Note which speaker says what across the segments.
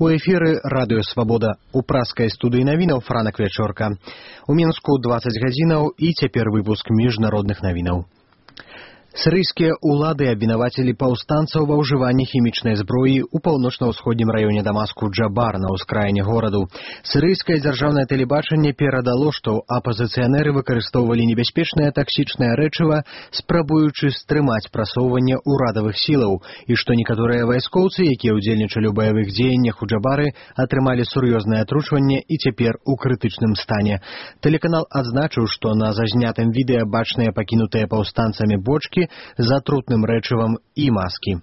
Speaker 1: У эфіры радыё Свабода. У праскай студыі навінаў Франак Вячорка. У Мінску 20 гадзінаў і цяпер выпуск міжнародных навінаў. Сірыйскія ўлады абвінавацілі паўстанцаў ва ўжыванні хімічнай зброі ў паўночна-ўсходнім раёне Дамаску Джабар на ўскраіне гораду. Сірыйскае дзяржаўнае тэлебачанне перадало, што апазіцыянеры выкарыстоўвалі небяспечнае таксічнае рэчыва, спрабуючы стрымаць прасоўванне ўрадавых сілаў, і што некаторыя вайскоўцы, якія ўдзельнічалі ў баявых дзеяннях у Джабары, атрымалі сур'ёзнае атручванне і цяпер у крытычным стане. Тэлеканал адзначыў, што на зазнятым відэа бачныя пакінутыя паўстанцамі бочкі з атрутным рэчывам і маскі.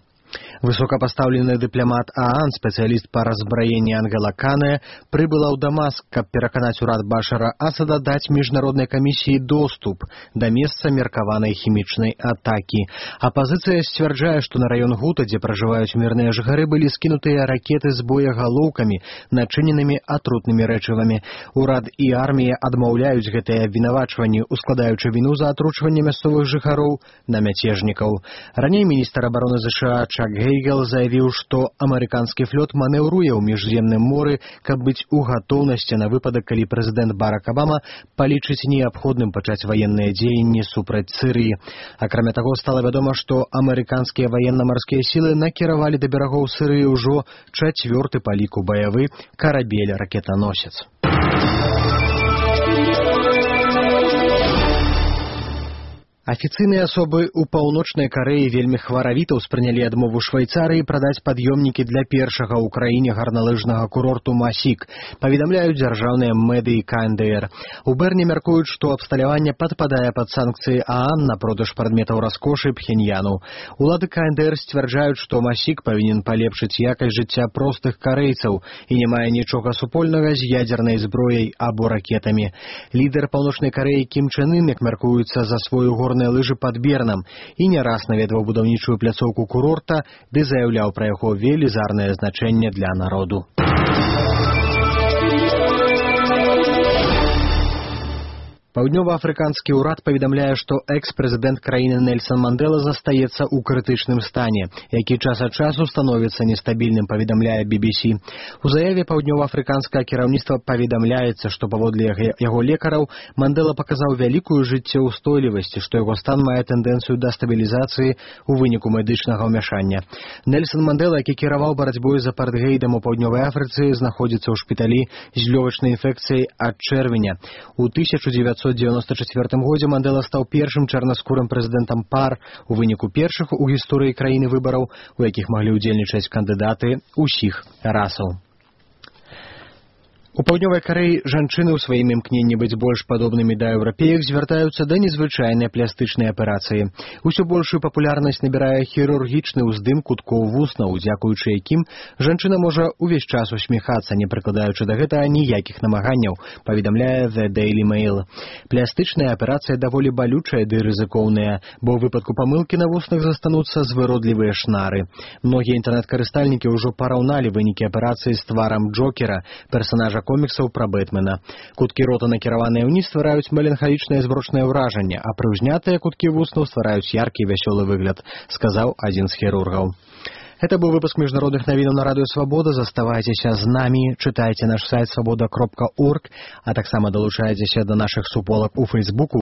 Speaker 1: Высокапастаўлены дыпламат ААН, спецыяліст па разбраенні Ангела Канэ, прыбыла ў Дамаск, каб пераканаць урад Башара Асада даць міжнароднай камісіі доступ да месца меркаванай хімічнай атакі. Апазіцыя сцвярджае, што на раён Гута, дзе пражываюць мірныя жыхары, былі скінутыя ракеты з боегалоўкамі, начыненымі атрутнымі рэчывамі. Урад і армія адмаўляюць гэтыя абвінавачванні, ускладаючы віну за атручванне мясцовых жыхароў на мяцежнікаў. Раней міністр абароны ЗША Чак Гейгел заявіў, што амерыканскі флот манеўруе ў міжземным моры, каб быць у гатоўнасці на выпадак, калі прэзідэнт Барак Абама палічыць неабходным пачаць ваенныя дзеянні супраць Сірыі. Акрамя таго, стала вядома, што амерыканскія ваенна-марскія сілы накіравалі да берагоў Сірыі ўжо 4-ты па ліку баявы карабель-ракетаносец. Афіцыйныя асобы ў паўночнай Карэі вельмі хваравіта ўспрынялі адмову Швейцарыі прадаць пад'ёмнікі для першага ў краіне гарналыжнага курорту Масік, паведамляюць дзяржаўныя медыі КНДР. У Берне мяркуюць, што абсталяванне падпадае пад санкцыі ААН на продаж прадметаў раскошы Пхеньяну. Улады КНДР сцвярджаюць, што Масік павінен палепшыць якасць жыцця простых карэйцаў і не мае нічога супольнага з ядзернай зброяй або ракетамі. Лідар паўночнай Карэі Кім Чен Ын, як мяркуецца, за сваю горную лыжы пад Бернам і не раз наведваў будаўнічую пляцоўку курорта, ды заяўляў пра яго велізарнае значэнне для народу. Паўднёва-афрыканскі ўрад паведамляе, што экс-прэзідэнт краіны Нельсан Мандэла застаецца ў крытычным стане, які час ад часу становіцца нестабільным, паведамляе BBC. У заяве паўднёва-афрыканскае кіраўніцтва паведамляецца, што паводле яго лекараў Мандэла паказаў вялікую жыццеўстойлівасць, што яго стан мае тэндэнцыю да стабілізацыі ў выніку медычнага ўмяшання. Нельсан Мандэла, які кіраваў барацьбой з апартэйдам у паўднёвай Афрыцы, знаходзіцца ў шпіталі з лёгачнай інфекцыяй ад чэрвеня. У 1994 годзе Мандэла стаў першым чарнаскурым прэзідэнтам пар у выніку першых у гісторыі краіны выбараў, у якіх маглі ўдзельнічаць кандыдаты ўсіх расаў. У паўднёвай Карэі жанчыны ў сваім імкненні быць больш падобнымі да еўрапеек звяртаюцца да незвычайнай пластычнай аперацыі. Усё большую папулярнасць набірае хірургічны ўздым куткоў вуснаў, дзякуючы якім жанчына можа ўвесь час усміхацца, не прыкладаючы да гэтага ніякіх намаганняў, паведамляе The Daily Mail. Пластычная аперацыя даволі балючая ды рызыкоўная, бо ў выпадку памылкі на вуснах застануцца звыродлівыя шнары. Многія інтэрнэт-карыстальнікі ўжо параўналі вынікі аперацыі з тварам Джокера, персанажа коміксаў пра Бэтмена. Куткі рота, накіраваныя ўніз, ствараюць меланхалічнае змрочнае ўражанне, а прыўзнятыя куткі вуснаў ствараюць яркі і вясёлы выгляд, сказаў адзін з хірургаў. Гэта быў выпуск міжнародных навінаў на радыё Свабода. Заставайцеся з намі, чытайце наш сайт свабода.орг, а таксама далучайцеся да нашых суполак у Фейсбуку,